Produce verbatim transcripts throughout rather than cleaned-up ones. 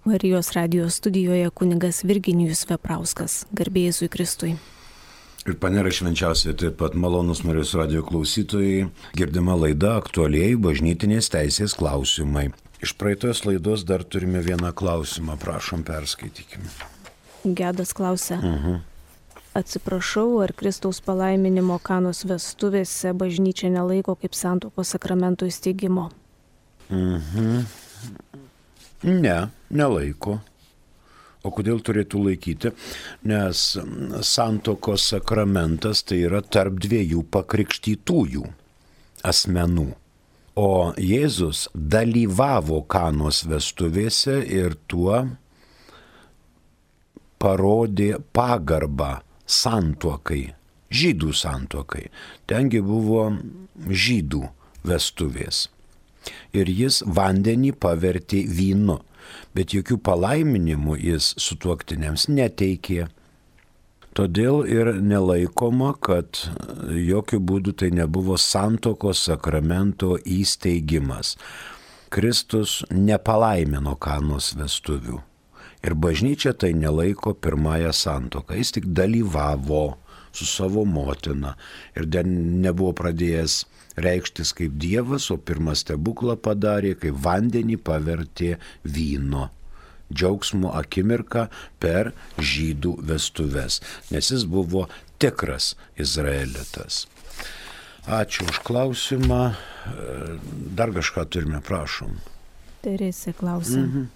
Marijos radijos studijoje kunigas Virginijus Veprauskas. Garbė Jėzui Kristui. Ir panėra švenčiausiai taip pat malonus Marijos radijo klausytojai. Girdima laida aktualiai bažnytinės teisės klausimai. Iš praeitos laidos dar turime vieną klausimą. Prašom, perskaitykime. Gedas klausia. Uh-huh. Atsiprašau, ar Kristaus palaiminimo Kanos vestuvėse bažnyčia nelaiko kaip santuokos sakramento įsteigimo? Mhm. Ne, nelaiko. O kodėl turėtų laikyti? Nes santuokos sakramentas tai yra tarp dviejų pakrikštytųjų asmenų. O Jėzus dalyvavo Kanos vestuvėse ir tuo parodė pagarbą santuokai, žydų santuokai. Tengi buvo žydų vestuvės. Ir jis vandenį pavertė vynu, bet jokių palaiminimų jis sutuoktiniams neteikė. Todėl ir nelaikoma, kad jokių būdų tai nebuvo santuokos sakramento įsteigimas. Kristus nepalaimino Kanos vestuvių. Ir bažnyčia tai nelaiko pirmąją santuoką. Jis tik dalyvavo su savo motina ir dar nebuvo pradėjęs reikštis kaip Dievas, o pirmą stebuklą padarė, kai vandenį pavertė vyno. Džiaugsmo akimirka per žydų vestuves, nes jis buvo tikras izraelitas. Ačiū už klausimą. Dar kažką turime, prašom. Teresė klausia. Mhm.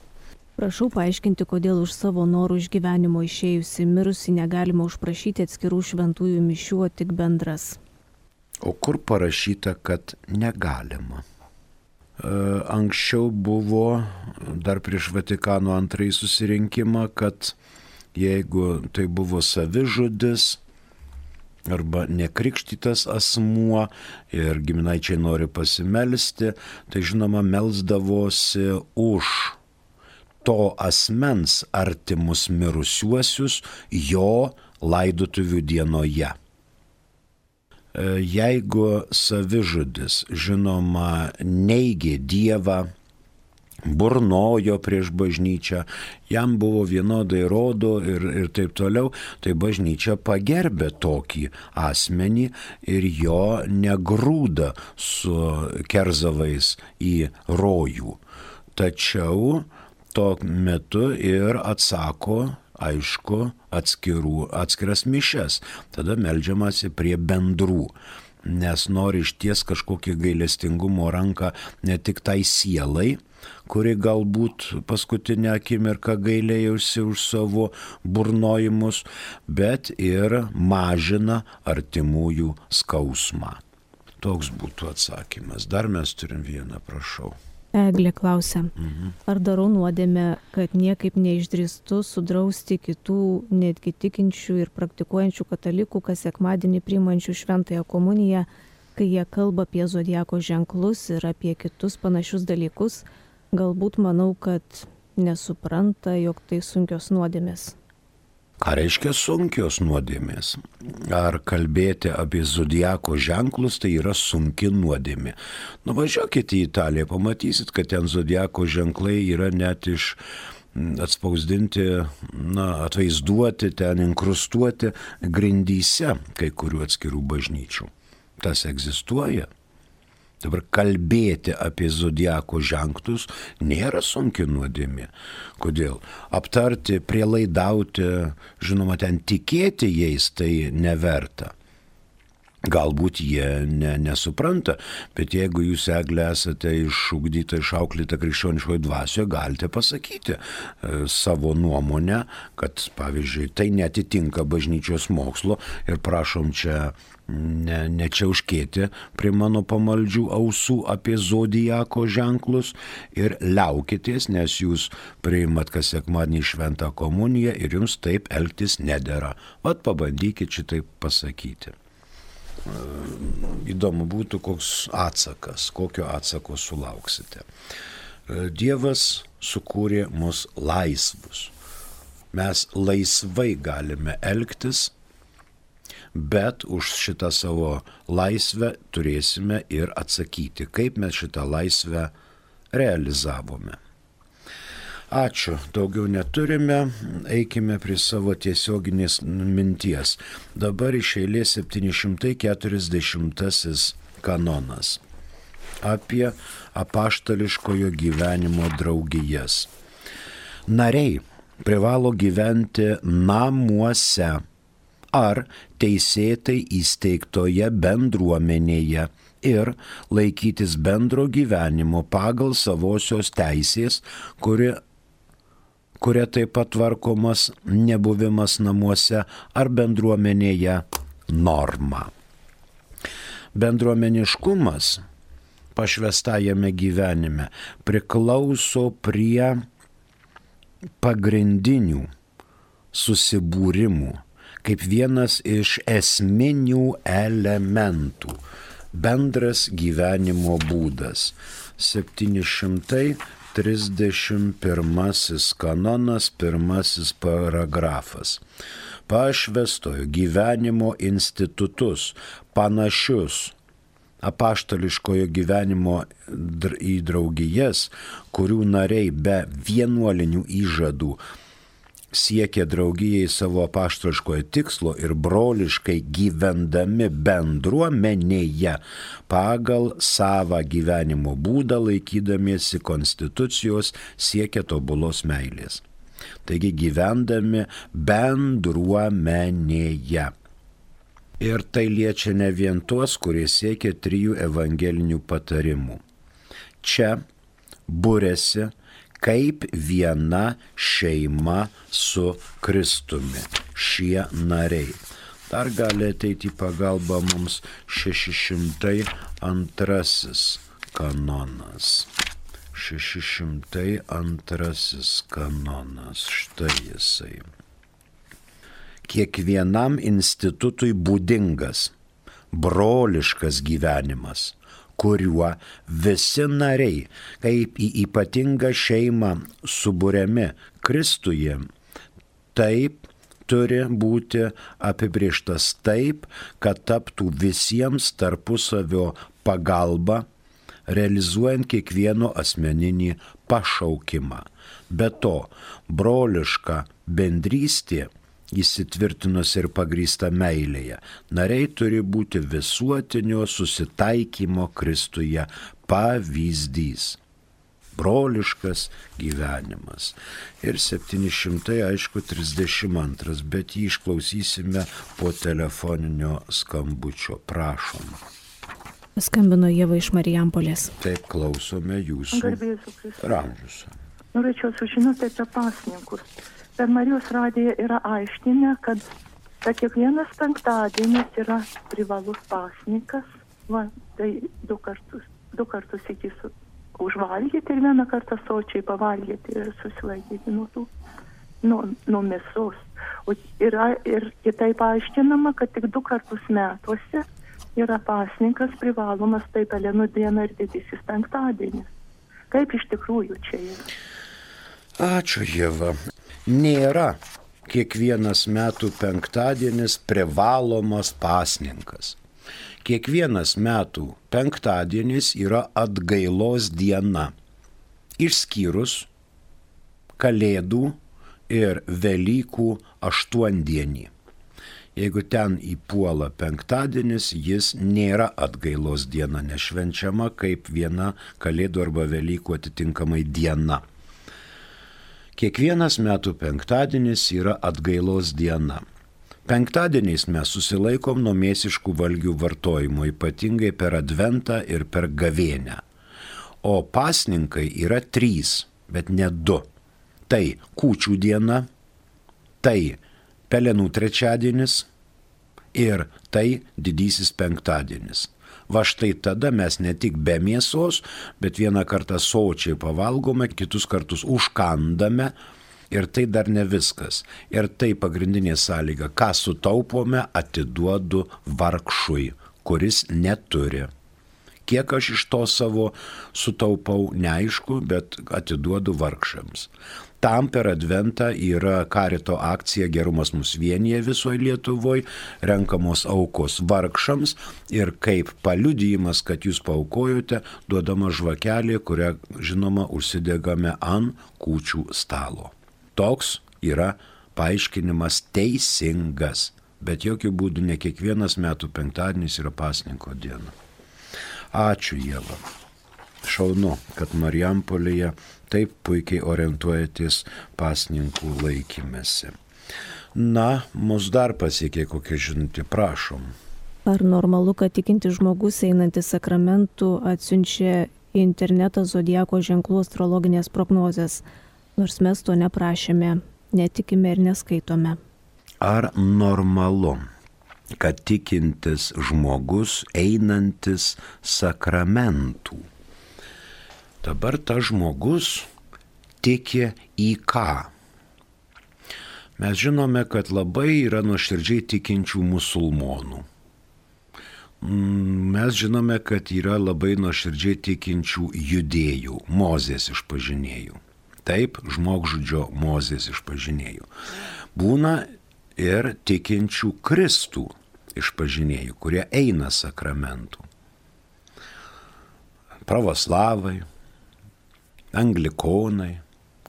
Prašau paaiškinti, kodėl už savo norų išgyvenimo išėjusi mirusi negalima užprašyti atskirų šventųjų mišių, o tik bendras. O kur parašyta, kad negalima? Anksčiau buvo, dar prieš Vatikano antrąjį susirinkimą, kad jeigu tai buvo savižudis arba nekrikštytas asmuo ir giminaičiai nori pasimelsti, tai žinoma melsdavosi už to asmens artimus mirusiuosius jo laidotuvių dienoje. Jeigu savižudis, žinoma, neigė Dievą, burnojo prieš bažnyčią, jam buvo vienodai rodo ir, ir taip toliau, tai bažnyčia pagerbė tokį asmenį ir jo negrūda su kerzavais į rojų. Tačiau tuo metu ir atsako, aišku, atskirų, atskiras mišias. Tada meldžiamasi prie bendrų, nes nori išties kažkokį gailestingumo ranką ne tik tai sielai, kuri galbūt paskutinę akimirką gailėjusi už savo burnojimus, bet ir mažina artimųjų skausmą. Toks būtų atsakymas. Dar mes turim vieną, prašau. Eglė klausia, Mhm. ar darau nuodėmę, kad niekaip neišdrįstu sudrausti kitų netgi tikinčių ir praktikuojančių katalikų, kas sekmadienį priimančių šventąją komuniją, kai jie kalba apie zodiako ženklus ir apie kitus panašius dalykus, galbūt manau, kad nesupranta, jog tai sunkios nuodėmės. Ką reiškia sunkios nuodėmės? Ar kalbėti apie zodiako ženklus, tai yra sunki nuodėmė. Nuvažiuokite į Italiją, pamatysit, kad ten zodiako ženklai yra net iš atspausdinti, na, atvaizduoti, ten inkrustuoti grindyse kai kurių atskirų bažnyčių. Tas egzistuoja. Dabar kalbėti apie zodiako ženklus nėra sunki nuodėmė. Kodėl? Aptarti, prielaidauti, žinoma, ten tikėti jais tai neverta. Galbūt jie ne, nesupranta, bet jeigu jūs, Eglė, esate išugdyta, išauklėta krikščioniškoje dvasioje, galite pasakyti e, savo nuomonę, kad, pavyzdžiui, tai netitinka bažnyčios mokslo ir prašom čia ne, nečiauškėti prie mano pamaldžių ausų apie zodiako ženklus ir liaukitės, nes jūs priimat kas sekmadienį šventą komuniją ir jums taip elgtis nedera. Vat pabandykit šitaip pasakyti. Įdomu būtų, koks atsakas, kokio atsako sulauksite. Dievas sukūrė mus laisvus. Mes laisvai galime elgtis, bet už šitą savo laisvę turėsime ir atsakyti, kaip mes šitą laisvę realizavome. Ačiū, daugiau neturime, eikime prie savo tiesioginės minties. Dabar iš eilės septyni šimtai keturiasdešimtasis kanonas apie apaštališkojo gyvenimo draugijas. Nariai privalo gyventi namuose ar teisėtai įsteigtoje bendruomenėje ir laikytis bendro gyvenimo pagal savosios teisės, kuri kuria taip pat tvarkomas nebuvimas namuose ar bendruomenėje norma. Bendruomeniškumas pašvęstajame gyvenime priklauso prie pagrindinių susibūrimų kaip vienas iš esminių elementų. Bendras gyvenimo būdas. septyni šimtai trisdešimt pirmasis kanonas, pirmasis paragrafas. Pašvęstojo gyvenimo institutus, panašius apaštališkojo gyvenimo į draugijas, kurių nariai be vienuolinių įžadų siekia draugijai savo apaštališkojo tikslo ir broliškai gyvendami bendruomenėje pagal savą gyvenimo būdą laikydamiesi konstitucijos siekia tobulos meilės. Taigi gyvendami bendruomenėje. Ir tai liečia ne vien tuos, kurie siekia trijų evangelinių patarimų. Čia būrėsi kaip viena šeima su Kristumi, šie nariai. Dar gali ateiti į pagalbą mums šeši šimtai antrasis kanonas. šeši šimtai antrasis kanonas, štai jisai. Kiekvienam institutui būdingas, broliškas gyvenimas, kuriuo visi nariai, kaip į ypatingą šeimą suburiami Kristuje, taip turi būti apibrėžtas taip, kad taptų visiems tarpusavio pagalba, realizuojant kiekvieno asmeninį pašaukimą. Be to, broliška bendrystė įsitvirtinusi ir pagrįsta meilėje. Nariai turi būti visuotinio susitaikymo Kristuje pavyzdys. Broliškas gyvenimas. Ir septyni šimtai, aišku, trisdešimt antras, bet jį išklausysime po telefoninio skambučio. Prašom. Skambino Ieva iš Marijampolės. Taip, klausome jūsų. Garbėsiu Kristus. Ramžius. Norėčiau sužinoti apie pasninkus. Per Marijos radiją yra aiškinę, kad, kad kiekvienas penktadienis yra privalus pasninkas. Va, tai du kartus, du kartus iki su, užvalgyti ir vieną kartą sočiai pavalgyti ir susilaikyti nuo tų, nuo, nuo mėsos. O yra ir kitaip aiškinama, kad tik du kartus metuose yra pasninkas privalomas, tai Pelenų diena ir didysis penktadienis. Kaip iš tikrųjų čia yra? Ačiū, Ieva. Nėra kiekvienas metų penktadienis privalomas pasninkas. Kiekvienas metų penktadienis yra atgailos diena, išskyrus Kalėdų ir Velykų aštuondienį. Jeigu ten įpuola penktadienis, jis nėra atgailos diena, nešvenčiama kaip viena Kalėdų arba Velykų atitinkamai diena. Kiekvienas metų penktadienis yra atgailos diena. Penktadieniais mes susilaikom nuo mėsiškų valgių vartojimo, ypatingai per Adventą ir per Gavėnią. O pasninkai yra trys, bet ne du. Tai Kūčių diena, tai Pelenų trečiadienis ir tai Didysis penktadienis. Va štai tada mes ne tik be mėsos, bet vieną kartą sočiai pavalgome, kitus kartus užkandame ir tai dar ne viskas. Ir tai pagrindinė sąlyga, ką sutaupome, atiduodu vargšui, kuris neturi. Kiek aš iš to savo sutaupau, neaišku, bet atiduodu vargšams. Tam per Adventą yra Karito akcija Gerumas mus vienyje visoje Lietuvoje, renkamos aukos vargšams ir kaip paliudijimas, kad jūs paaukojote, duodama žvakelė, kurią, žinoma, užsidegame ant kūčių stalo. Toks yra paaiškinimas teisingas, bet jokių būdų ne kiekvienas metų penktadienis yra pasninko diena. Ačiū, Ieva. Šaunu, kad Marijampolėje taip puikiai orientuojatės pasninkų laikymėsi. Na, mus dar pasiekė kokia žinutė, prašom. Ar normalu, kad tikintis žmogus einantis sakramentų atsiunčia į internetą zodiako ženklų astrologinės prognozės, nors mes to neprašėme, netikime ir neskaitome? Ar normalu, kad tikintis žmogus einantis sakramentų? Dabar tas žmogus tiki į ką? Mes žinome, kad labai yra nuoširdžiai tikinčių musulmonų. Mes žinome, kad yra labai nuoširdžiai tikinčių judėjų, Mozės išpažinėjų. Taip, žmogžudžio Mozės išpažinėjų. Būna ir tikinčių Kristų išpažinėjų, kurie eina sakramentų. Pravoslavai, anglikonai,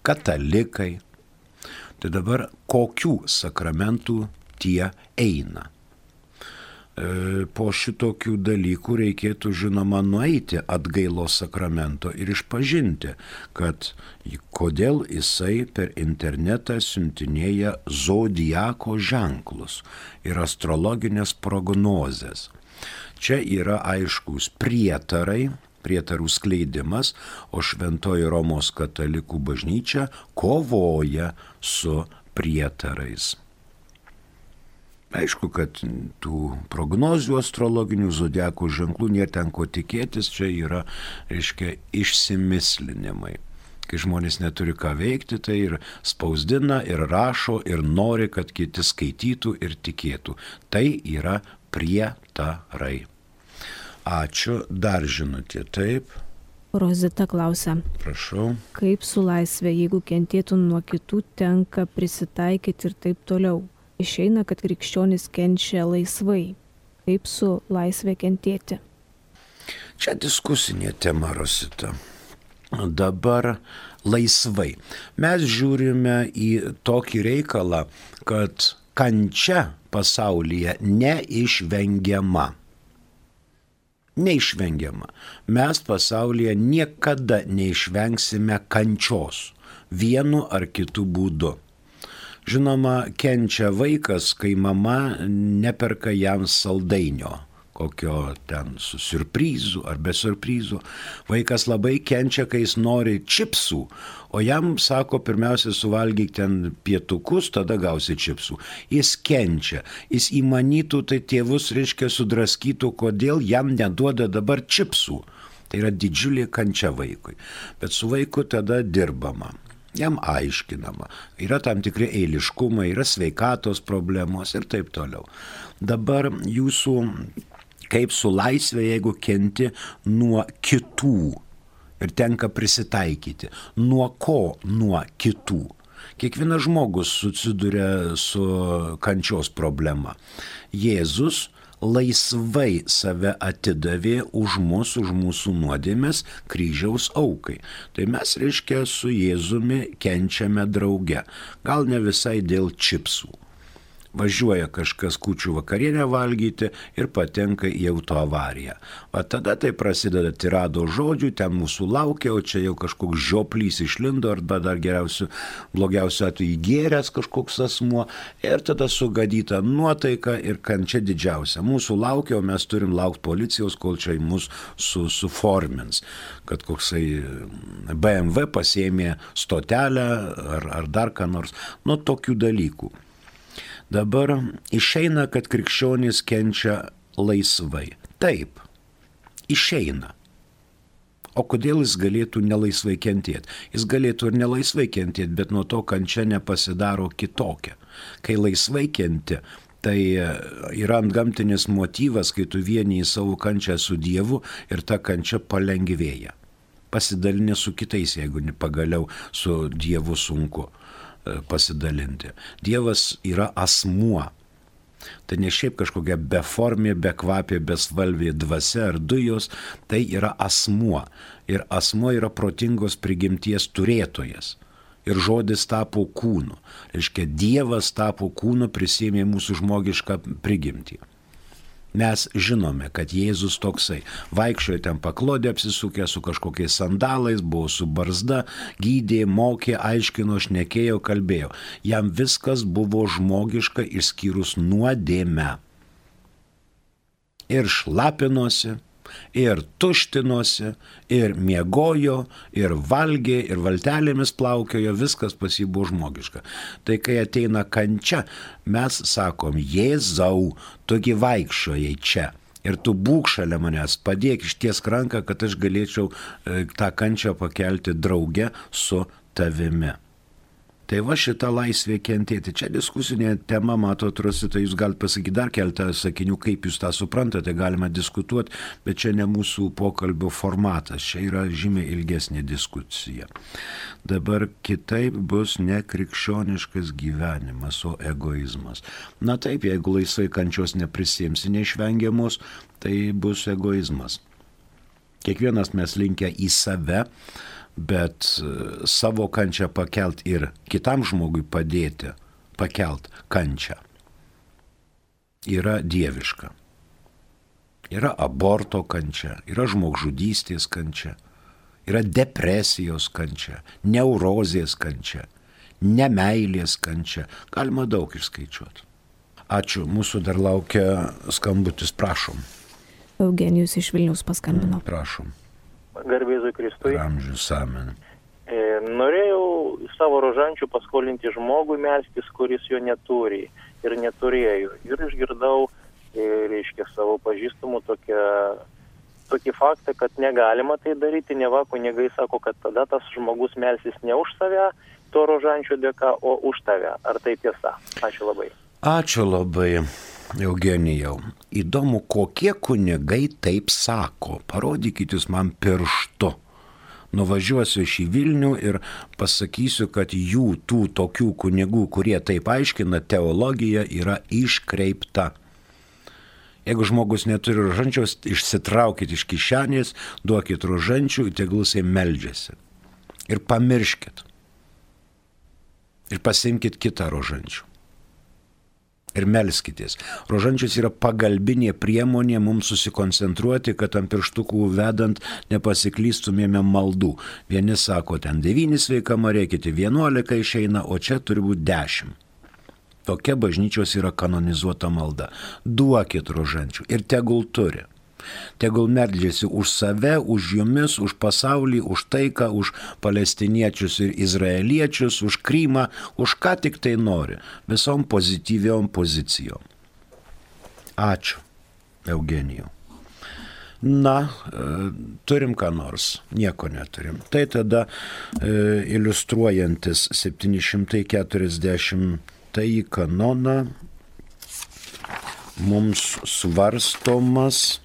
katalikai. Tai dabar kokių sakramentų tie eina? E, po šitokių dalykų reikėtų, žinoma, nueiti atgailos sakramento ir išpažinti, kad kodėl jisai per internetą siuntinėja zodiako ženklus ir astrologinės prognozes. Čia yra aiškus prietarai, prietarų skleidimas, o Šventoji Romos katalikų bažnyčia kovoja su prietarais. Aišku, kad tų prognozių astrologinių zodiako ženklų nėra ten ko tikėtis, čia yra, reiškia, išsimislinimai. Kai žmonės neturi ką veikti, tai ir spausdina, ir rašo, ir nori, kad kiti skaitytų ir tikėtų. Tai yra prietarai. Ačiū, dar žinutė, taip. Rozita klausia. Prašau. Kaip su laisvė, jeigu kentėtų nuo kitų, tenka prisitaikyti ir taip toliau? Išeina, kad krikščionis kenčia laisvai. Kaip su laisvė kentėti? Čia diskusinė tema, Rosita. Dabar laisvai. Mes žiūrime į tokį reikalą, kad kančia pasaulyje neišvengiama. Neišvengiama. Mes pasaulyje niekada neišvengsime kančios vienu ar kitu būdu. Žinoma, kenčia vaikas, kai mama neperka jam saldainio, kokio ten su siurprizu ar be siurprizu. Vaikas labai kenčia, kai jis nori čipsų, o jam sako, pirmiausia, suvalgyk ten pietukus, tada gausi čipsų. Jis kenčia, jis įmanytų, tai tėvus, reiškia, sudraskytų, kodėl jam neduoda dabar čipsų. Tai yra didžiulė kančia vaikui. Bet su vaiku tada dirbama. Jam aiškinama, yra tam tikri eiliškumai, yra sveikatos problemos ir taip toliau. Dabar jūsų, kaip su laisvė, jeigu kenti nuo kitų ir tenka prisitaikyti. Nuo ko nuo kitų? Kiekvienas žmogus susiduria su kančios problema. Jėzus laisvai save atidavė už mus, už mūsų nuodėmes kryžiaus aukai. Tai mes, reiškia, su Jėzumi kenčiame drauge. Gal ne visai dėl čipsų. Važiuoja kažkas kūčių vakarienę valgyti ir patenka į autoavariją. O tada tai prasideda tirado žodžių, ten mūsų laukia, o čia jau kažkoks žioplys išlindo, arba dar geriausiu, blogiausiu atveju įgėręs kažkoks asmuo, ir tada sugadyta nuotaika ir kančia didžiausia. Mūsų laukia, o mes turim laukti policijos, kol čia mus su, suformins, kad koksai B M W pasiėmė stotelę ar, ar dar ką nors. Nu, tokių dalykų. Dabar išeina, kad krikščionys kenčia laisvai. Taip, išeina. O kodėl jis galėtų nelaisvai kentėti? Jis galėtų ir nelaisvai kentėti, bet nuo to kančia nepasidaro kitokia. Kai laisvai kenti, Tai yra antgamtinis motyvas, kai tu vieniji savo kančią su Dievu ir ta kančia palengvėja. Pasidalinė su kitais, jeigu pagaliau su Dievu sunku pasidalinti. Dievas yra asmuo. Tai ne šiaip kažkokia beformė, bekvapė, besvalvė dvasia ar dujos, tai yra asmuo. Ir asmuo yra protingos prigimties turėtojas. Ir žodis tapo kūnu. Reiškia, Dievas tapo kūnu, prisėmė mūsų žmogišką prigimtį. Mes žinome, kad Jėzus toksai vaikščiojo ten paklodė apsisukę su kažkokiais sandalais, buvo su barzda, gydė, mokė, aiškino, šnekėjo, kalbėjo. Jam viskas buvo žmogiška išskyrus nuodėmę. Ir šlapinosi, ir tuštinosi, ir miegojo, ir valgė, ir valtelėmis plaukiojo, viskas pas jį buvo žmogiška. Tai kai ateina kančia, mes sakom, Jėzau, tugi vaikščiojai čia. Ir tu būk šalia manęs, padėk ištiesk ranką, kad aš galėčiau e, tą kančią pakelti drauge su tavimi. Tai va šita laisvė kentėti. Čia diskusinė tema, matot, Rosita, jūs galite pasakyti dar keltą sakinių, kaip jūs tą suprantate, galima diskutuoti, bet čia ne mūsų pokalbio formatas, čia yra žymiai ilgesnė diskusija. Dabar kitaip bus ne krikščioniškas gyvenimas, o egoizmas. Na taip, jeigu laisvai kančios neprisiimsi neišvengiamos, tai bus egoizmas. Kiekvienas mes linkę į save, bet savo kančią pakelt ir kitam žmogui padėti pakelt kančią yra dieviška. Yra aborto kančia, yra žmogžudystės kančia, yra depresijos kančia, neurozės kančia, nemeilės kančia. Galima daug išskaičiuoti. Ačiū, mūsų dar laukia skambutis, prašom. Eugenijus iš Vilniaus paskambino. Prašom. Garbėzui Kristui. Amžius amen. E, norėjau savo rožančių paskolinti žmogui melstis, kuris jo neturi ir neturėjo. Ir išgirdau, e, reiškia, savo pažįstamų tokią, tokį faktą, kad negalima tai daryti. Neva kunigai sako, kad tada tas žmogus melsis ne už save, to rožančių dėka, o už tave. Ar tai tiesa? Ačiū labai. Ačiū labai. Eugenijau, įdomu, kokie kunigai taip sako. Parodykit jūs man pirštu. Nuvažiuosiu iš į Vilnių ir pasakysiu, kad jų tų tokių kunigų, kurie taip aiškina, teologija yra iškreipta. Jeigu žmogus neturi rožančiaus, išsitraukit iš kišenės, duokit rožančių, tegul jisai meldžiasi. Ir pamirškit. Ir pasimkit kitą rožančių. Ir melskitės. Rožančius yra pagalbinė priemonė mums susikoncentruoti, kad ant pirštukų vedant nepasiklystumėme maldų. Vieni sako, ten devyni sveika Marija, kiti vienuolika išeina, o čia turi būti dešimt. Tokia bažnyčios yra kanonizuota malda. Duokit rožančių ir tegul turi. Tegul meldžiasi už save, už jumis, už pasaulį, už taiką, už palestiniečius ir izraeliečius, už Krymą, už ką tik tai nori, visom pozityviom pozicijom. Ačiū, Eugenijau. Na, e, turim ką nors, nieko neturim. Tai tada e, iliustruojantis septyni šimtai keturiasdešimtąjį kanoną mums svarstomas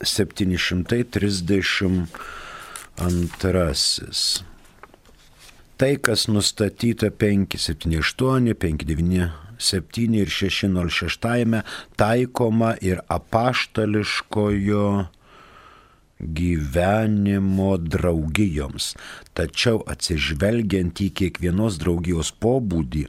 septyni šimtai trisdešimt antrasis. Tai, kas nustatyta penki septyni aštuoni, penki devyni septyni ir šeši nulis šeši taikoma ir apaštališkojo gyvenimo draugijoms. Tačiau atsižvelgiant į kiekvienos draugijos pobūdį,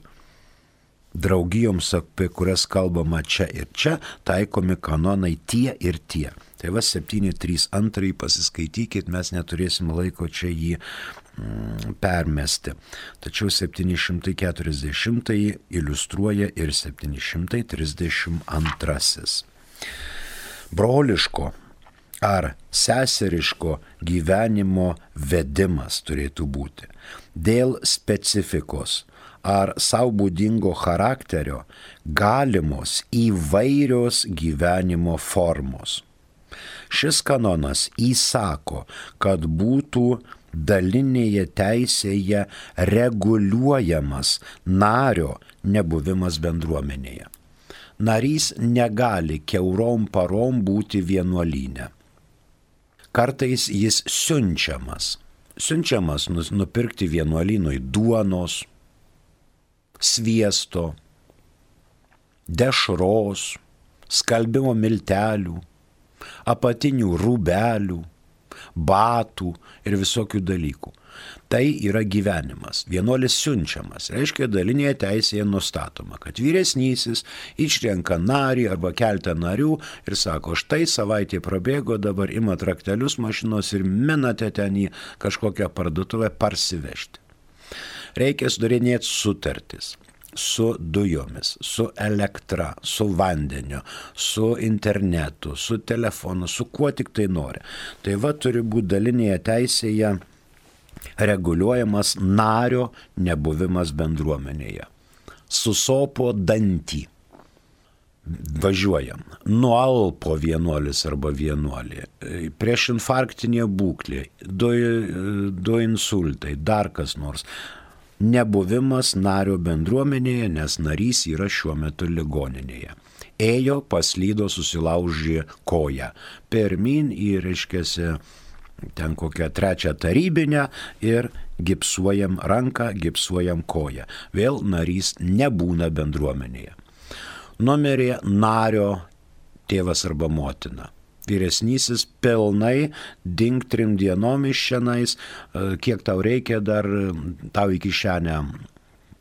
draugijoms, apie kurias kalbama čia ir čia, taikomi kanonai tie ir tie. Tai va septyni trys du pasiskaitykit, mes neturėsim laiko čia jį mm, permesti. Tačiau septyni šimtai keturiasdešimtąjį iliustruoja ir septyni šimtai trisdešimt antrasis. Broliško ar seseriško gyvenimo vedimas turėtų būti. Dėl specifikos ar sau būdingo charakterio galimos įvairios gyvenimo formos. Šis kanonas įsako, kad būtų dalinėje teisėje reguliuojamas nario nebuvimas bendruomenėje. narys negali kiaurom parom būti vienuolyne. Kartais jis siunčiamas. Siunčiamas nupirkti vienuolynui duonos, sviesto, dešros, skalbimo miltelių, apatinių rūbelių, batų ir visokių dalykų. Tai yra gyvenimas. Vienuolis siunčiamas. Reiškia, dalinėje teisėje nustatoma, kad vyresnysis išrenka narį arba keltą narių ir sako, štai savaitė prabėgo, dabar imat raktelius mašinos ir minate ten į kažkokią parduotuvę parsivežti. Reikia sudarinėti sutartis su dujomis, su elektra, su vandeniu, su internetu, su telefonu, su kuo tik tai nori. Tai va turi būti dalinėje teisėje reguliuojamas nario nebuvimas bendruomenėje. Susopo dantį. Važiuojam. Nualpo vienuolis arba vienuolė. Prieš infarktinė būklė. Du, du insultai. Dar kas nors. Nebuvimas nario bendruomenėje, nes narys yra šiuo metu ligoninėje. Ėjo, paslydo, susilaužė koją. Pirmin į, reiškiasi, ten kokią trečią tarybinę ir gipsuojam ranką, gipsuojam koją. Vėl narys nebūna bendruomenėje. Numerė nario tėvas arba motina. Vyresnysis pilnai dink trim dienom iš šianais, kiek tau reikia dar, tau į kišenę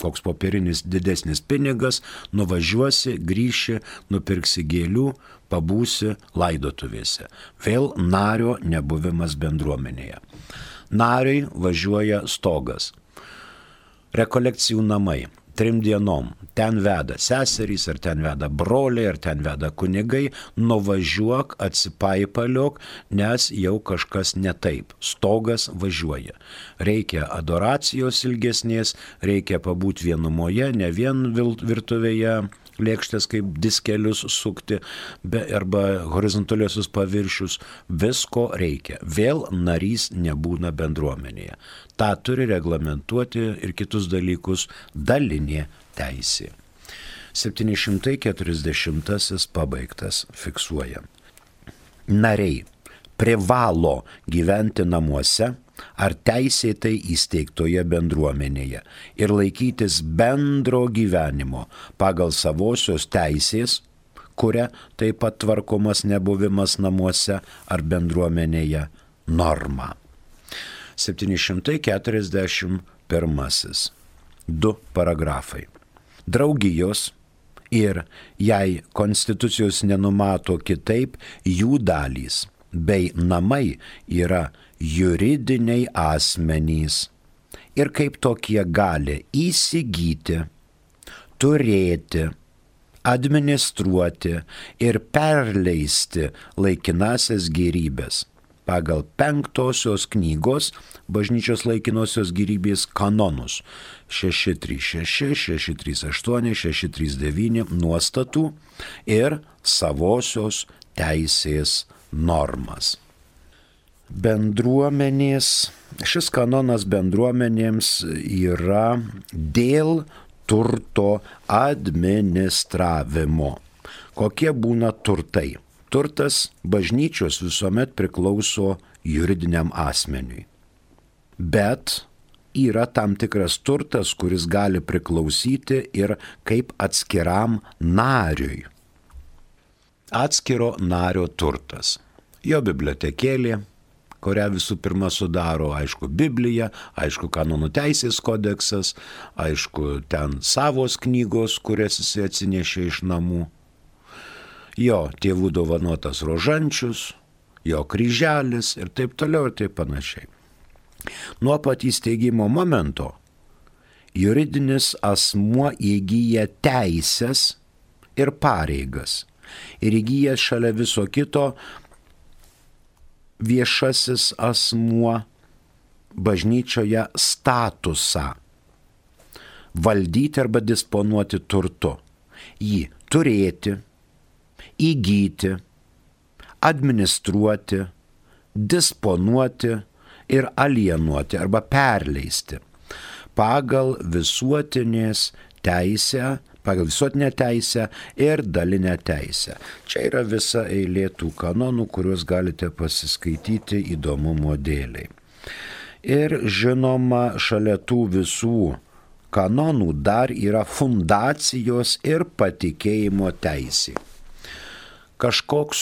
koks popierinis didesnis pinigas, nuvažiuosi, grįši, nupirksi gėlių, pabūsi laidotuvėse. Vėl nario nebuvimas bendruomenėje. Nariui važiuoja stogas. Rekolekcijų namai. Trim dienom. Ten veda seserys, ar ten veda broliai, ar ten veda kunigai. Nuvažiuok, atsipaipaliok, nes jau kažkas ne taip. Stogas važiuoja. Reikia adoracijos ilgesnės, reikia pabūti vienumoje, ne vien virtuvėje lėkštės kaip diskelius sukti, be, arba horizontaliosius paviršius. Visko reikia. Vėl narys nebūna bendruomenėje. Ta turi reglamentuoti ir kitus dalykus dalinė teisė. septyni šimtai keturiasdešimtasis pabaigtas fiksuoja. Nariai privalo gyventi namuose ar teisėtai įsteigtoje bendruomenėje ir laikytis bendro gyvenimo pagal savosios teisės, kuria taip pat tvarkomas nebuvimas namuose ar bendruomenėje norma. septyni šimtai keturiasdešimt pirmasis. Du paragrafai. Draugijos ir, jei konstitucijos nenumato kitaip, jų dalys bei namai yra juridiniai asmenys ir kaip tokie gali įsigyti, turėti, administruoti ir perleisti laikinasias gėrybės pagal penktosios knygos bažnyčios laikinosios gėrybės kanonus šeši trys šeši, šeši trys aštuoni, šeši trys devyni nuostatų ir savosios teisės normas. Bendruomenės, šis kanonas bendruomenėms yra dėl turto administravimo. Kokie būna turtai? Turtas bažnyčios visuomet priklauso juridiniam asmeniui. Bet yra tam tikras turtas, kuris gali priklausyti ir kaip atskiram nariui. Atskiro nario turtas. Jo bibliotekėlė, kurią visų pirma sudaro, aišku, Biblija, aišku, kanonų teisės kodeksas, aišku, ten savos knygos, kurias jis atsinešė iš namų. Jo tėvų dovanotas rožančius, jo kryželis ir taip toliau ir taip panašiai. Nuo pat įsteigimo momento juridinis asmuo įgyja teisės ir pareigas ir įgyja šalia viso kito viešasis asmuo bažnyčioje statusą valdyti arba disponuoti turtu, jį turėti, įgyti, administruoti, disponuoti ir alienuoti arba perleisti pagal visuotinės teisę, pagal visuotinę teisę ir dalinę teisę. Čia yra visa eilė tų kanonų, kuriuos galite pasiskaityti įdomumo dėliai. Ir žinoma, šalia tų visų kanonų dar yra fundacijos ir patikėjimo teisė. Kažkoks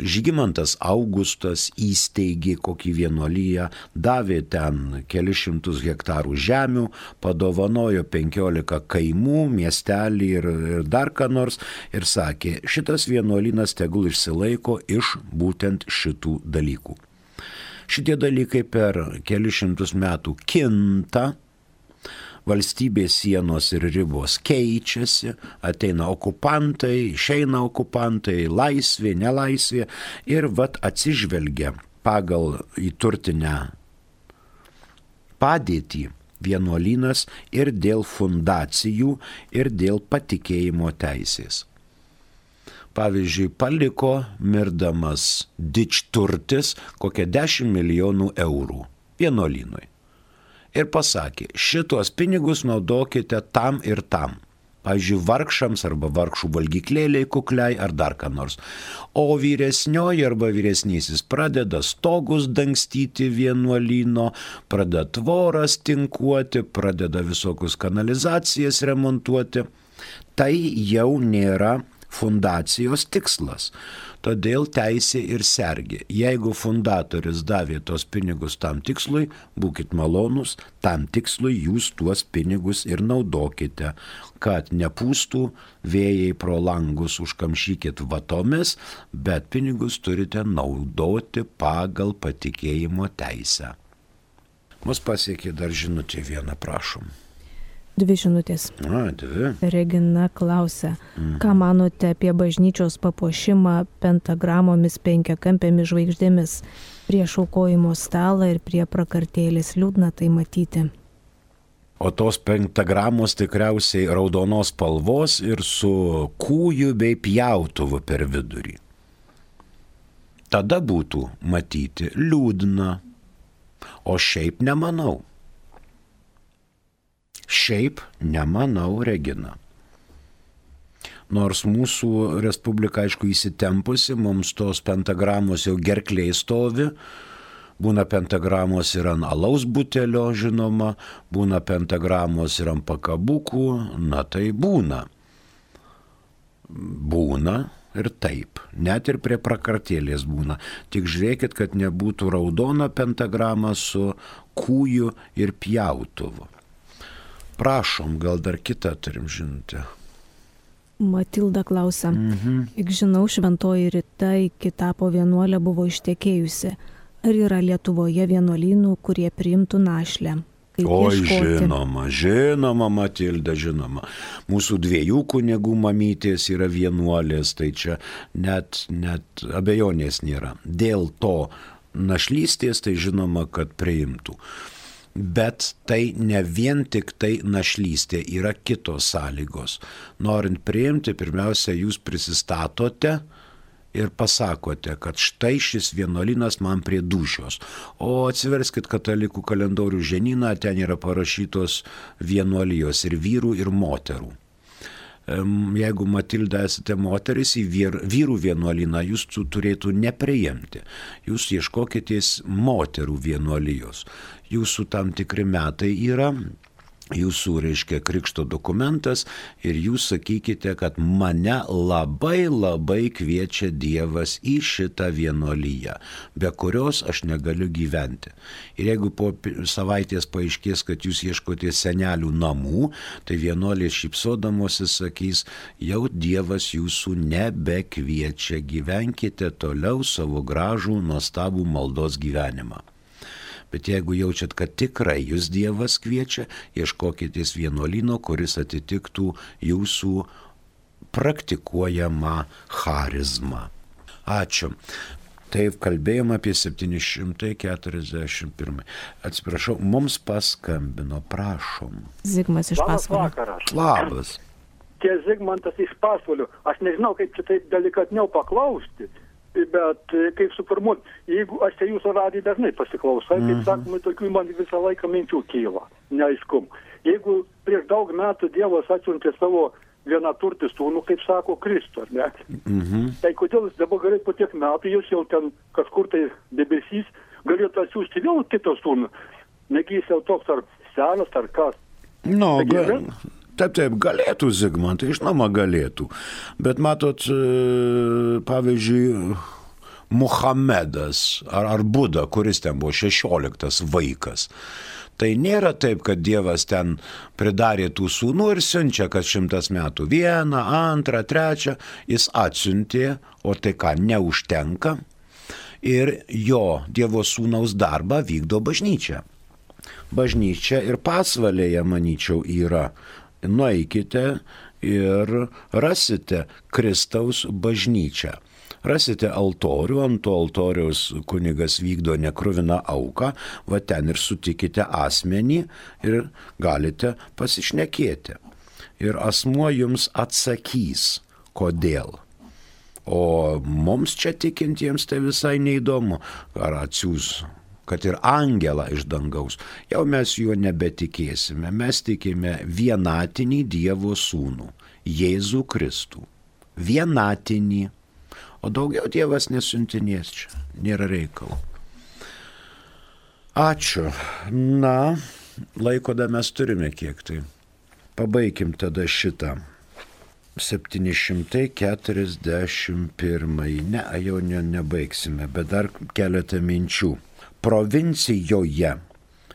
Žygimantas Augustas įsteigė kokį vienuolyją, davė ten kelius šimtus hektarų žemių, padovanojo penkiolika kaimų, miestelį ir, ir dar ką nors ir sakė, šitas vienuolynas tegul išsilaiko iš būtent šitų dalykų. Šitie dalykai per kelius šimtus metų kinta, valstybės sienos ir ribos keičiasi, ateina okupantai, išeina okupantai, laisvė, nelaisvė ir vat atsižvelgia pagal įturtinę padėtį vienuolynas ir dėl fundacijų, ir dėl patikėjimo teisės. Pavyzdžiui, paliko mirdamas didžturtis kokią dešimt milijonų eurų vienuolynui. Ir pasakė, šitos pinigus naudokite tam ir tam. Pavyzdžiui, vargšams arba vargšų valgyklėliai kukliai ar dar ką nors. O vyresnioji arba vyresnysis pradeda stogus dangstyti vienuolyno, pradeda tvoras tinkuoti, pradeda visokius kanalizacijas remontuoti. Tai jau nėra fundacijos tikslas. Todėl teisė ir sergė. Jeigu fundatorius davė tos pinigus tam tikslui, būkit malonus, tam tikslui jūs tuos pinigus ir naudokite, kad nepūstų vėjai pro langus, užkamšykit vatomis, bet pinigus turite naudoti pagal patikėjimo teisę. Mus pasiekė dar žinutė vieną, prašom. Dvi žinutės. A, dvi. Regina klausia, mhm. ką manote apie bažnyčios papuošimą pentagramomis penkiakampėmis žvaigždėmis prieš aukojimo stalą ir prie prakartėlės, liūdna tai matyti. O tos pentagramos tikriausiai raudonos spalvos ir su kūju bei pjautuvu per vidurį. Tada būtų matyti liūdna, o šiaip nemanau. Šiaip nemanau, Regina. Nors mūsų respublika, aišku, įsitempusi, mums tos pentagramos jau gerklėje stovi, būna pentagramos ir ant alaus butelio, žinoma, būna pentagramos ir ant pakabukų, na tai būna. Būna ir taip, net ir prie prakartėlės būna. Tik žiūrėkit, kad nebūtų raudona pentagrama su kūju ir pjautuvu. Prašom, gal dar kitą turim žinutę. Matilda klausia, Mhm. juk žinau, šventoji Rita iki tapo vienuolė buvo ištekėjusi. Ar yra Lietuvoje vienuolynų, kurie priimtų našlę? Kaip Oi, ieškoti? žinoma, žinoma, Matilda, žinoma. Mūsų dviejų kunigų mamytės yra vienuolės, tai čia net, net abejonės nėra. Dėl to našlystės, tai žinoma, kad priimtų. Bet tai ne vien tik tai našlystė, yra kitos sąlygos. Norint priimti, pirmiausia, jūs prisistatote ir pasakote, kad štai šis vienuolynas man prie dūšios. O atsiverskit katalikų kalendorių žinyną, ten yra parašytos vienuolijos ir vyrų, ir moterų. Jeigu, Matilda, esate moteris, į vyrų vienuolyną jūs turėtų nepriimti. Jūs ieškokitės moterų vienuolijos. Jūsų tam tikri metai yra, jūsų, reiškia, krikšto dokumentas ir jūs sakykite, kad mane labai labai kviečia Dievas į šitą vienuolyją, be kurios aš negaliu gyventi. Ir jeigu po savaitės paaiškės, kad jūs ieškote senelių namų, tai vienuolės šypsodamosi sakys, jau Dievas jūsų nebekviečia, gyvenkite toliau savo gražų, nuostabų maldos gyvenimą. Bet jeigu jaučiat, kad tikrai jūs Dievas kviečia, ieškokitės vienuolyno, kuris atitiktų jūsų praktikuojamą charizmą. Ačiū. Taip, kalbėjom apie septyni šimtai keturiasdešimt pirmą. Atsiprašau, mums paskambino, prašom. Zigmas iš Labas Pasvalio. vakaras. Labas. Čia Zigmantas iš Pasvalio. Aš nežinau, kaip čia taip delikatniau paklausti, bet kaip suformuoti, jeigu aš čia jūsų radiją dažnai pasiklausau, kaip sakoma, tokių man visą laiką minčių kyla, neaiškum. jeigu prieš daug metų Dievas atsiuntė savo vienaturtį sūnų, kaip sako Kristų, ar ne? Mhm. Tai kodėl jis dabar galėtų po tiek metų, jūs jau ten kažkur tai debesys, galėtų atsiųsti vėl kitą sūnų? Negi jis jau toks ar senas, ar kas? Nu, Taigi, ga, ne? taip, taip, galėtų Zigmantai, žinoma galėtų. Bet matot, e, pavyzdžiui, Muhamedas ar, ar Buda, kuris ten buvo šešioliktas vaikas. Tai nėra taip, kad Dievas ten pridarė tų sūnų ir siunčia, kas šimtas metų. Vieną, antrą, trečią, jis atsiuntė, o tai ką, neužtenka. Ir jo Dievo sūnaus darbą vykdo bažnyčia. Bažnyčia ir pasvalėje, manyčiau, yra. Nueikite ir rasite Kristaus bažnyčią. Rasite altorių, ant to altoriaus kunigas vykdo nekruviną auką, va ten ir sutikite asmenį ir galite pasišnekėti. Ir asmuo jums atsakys, kodėl. O mums čia tikintiems tai visai neįdomu, ar atsiūs, kad ir angelą iš dangaus. Jau mes juo nebetikėsime, mes tikime vienatinį Dievo sūnų, Jėzų Kristų. Vienatinį. O daugiau Dievas nesiuntinės čia, nėra reikalo. Ačiū. Na, laiko dar mes turime kiek tai. Pabaikim tada šitą. septyni šimtai keturiasdešimt pirmąjį. Ne, jau ne, nebaigsime, bet dar keletą minčių. Provincijoje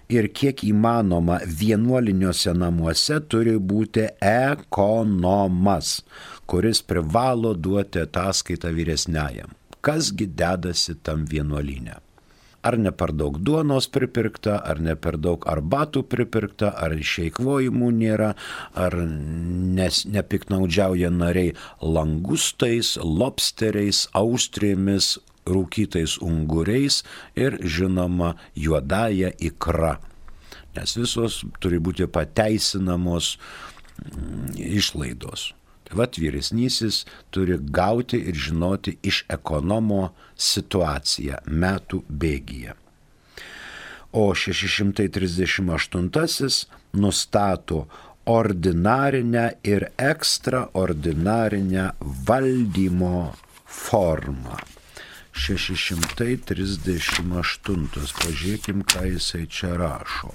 ir kiek įmanoma vienuoliniuose namuose turi būti ekonomas, kuris privalo duoti ataskaitą vyresniajam. Kasgi dedasi tam vienuolyne? Ar ne per daug duonos pripirkta, ar ne per daug arbatų pripirkta, ar išeikvojimų nėra, ar nes, nepiknaudžiauja nariai langustais, lobsteriais, austrėmis, rūkytais unguriais ir, žinoma, juodąja ikra. Nes visos turi būti pateisinamos mm, išlaidos. Tai vat vyresnysis turi gauti ir žinoti iš ekonomo situaciją metų bėgyje. O šeši šimtai trisdešimt aštuntasis nustato ordinarinę ir ekstraordinarinę valdymo formą. šeši šimtai trisdešimt aštuntas. Pažiūrėkim, ką jisai čia rašo.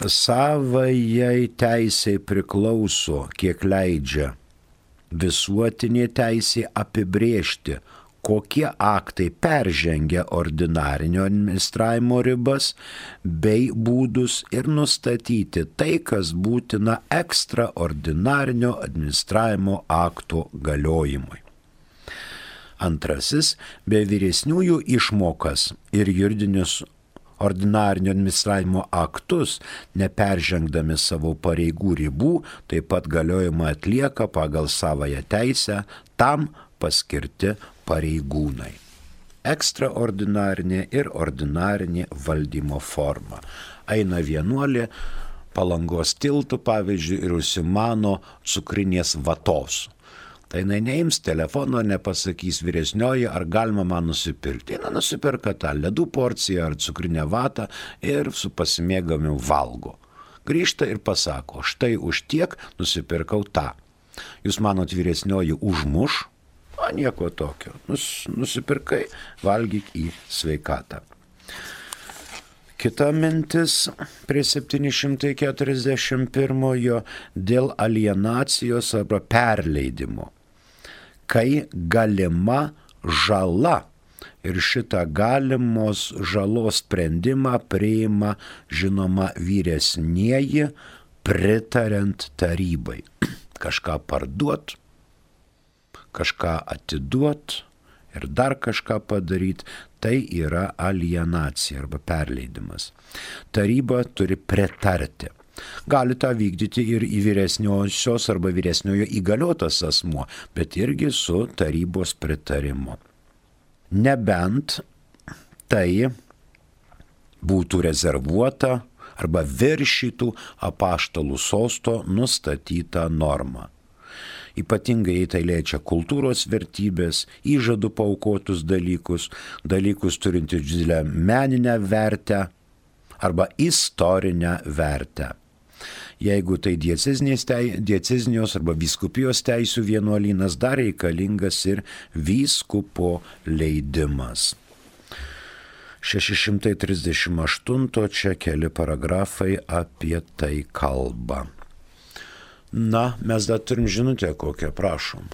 Savajai teisei priklauso, kiek leidžia visuotinė teisė apibrėžti, kokie aktai peržengia ordinarinio administravimo ribas bei būdus ir nustatyti tai, kas būtina ekstraordinarinio administravimo akto galiojimui. Antrasis, be vyresniųjų išmokas ir juridinius ordinarinio administravimo aktus, neperžengdami savo pareigų ribų, taip pat galiojimą atlieka pagal savąją teisę tam paskirti pareigūnai. Ekstraordinarinė ir ordinarinė valdymo forma. Eina vienuolė Palangos tiltų, pavyzdžiui, ir užsimano cukrinės vatos. Tai jinai neims telefono, nepasakys vyresnioji, ar galima man nusipirkti. Jis nusipirka tą ledų porciją ar cukrinę vatą ir su pasimėgamiu valgo. Grįžta ir pasako, štai už tiek nusipirkau tą. Jūs manot, vyresnioji užmuš? O nieko tokio. Nus, nusipirkai, valgyk į sveikatą. Kita mintis prie septyni šimtai keturiasdešimt pirmojo dėl alienacijos arba perleidimo. Kai galima žala ir šitą galimos žalos sprendimą priima, žinoma, vyresnieji pritariant tarybai. Kažką parduot, kažką atiduot ir dar kažką padaryti, tai yra alienacija arba perleidimas. Taryba turi pritarti. Gali tą vykdyti ir į vyresniosios arba vyresniojo įgaliotas asmuo, bet irgi su tarybos pritarimu. Nebent tai būtų rezervuota arba viršytų apaštalų sosto nustatytą normą. Ypatingai tai liečia kultūros vertybės, įžadų paaukotus dalykus, dalykus turinti didelę meninę vertę arba istorinę vertę. Jeigu tai diecezinios arba vyskupijos teisių vienuolynas, dar reikalingas ir vyskupo leidimas. šeši šimtai trisdešimt aštuoni čia keli paragrafai apie tai kalba. Na, mes dar turim žinutę kokią, prašom.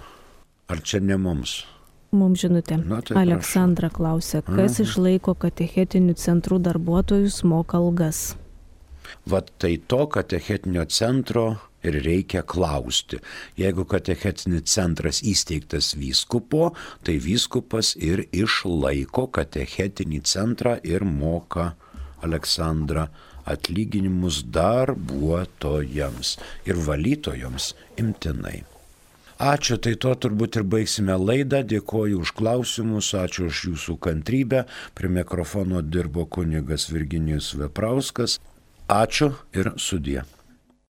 Ar čia ne mums? Mums žinutė. Na, tai Aleksandra klausia, kas Aha. išlaiko katechetinių centrų darbuotojus, moka algas? Vat tai to katechetinio centro ir reikia klausti. Jeigu katechetinis centras įsteigtas vyskupo, tai vyskupas ir išlaiko katechetinį centrą ir moka, Aleksandra, atlyginimus darbuotojams ir valytojams imtinai. Ačiū, tai to turbūt ir baigsime laidą. Dėkoju už klausimus, ačiū už jūsų kantrybę. Prie mikrofono dirbo kunigas Virginijus Veprauskas. Ačiū ir sudie.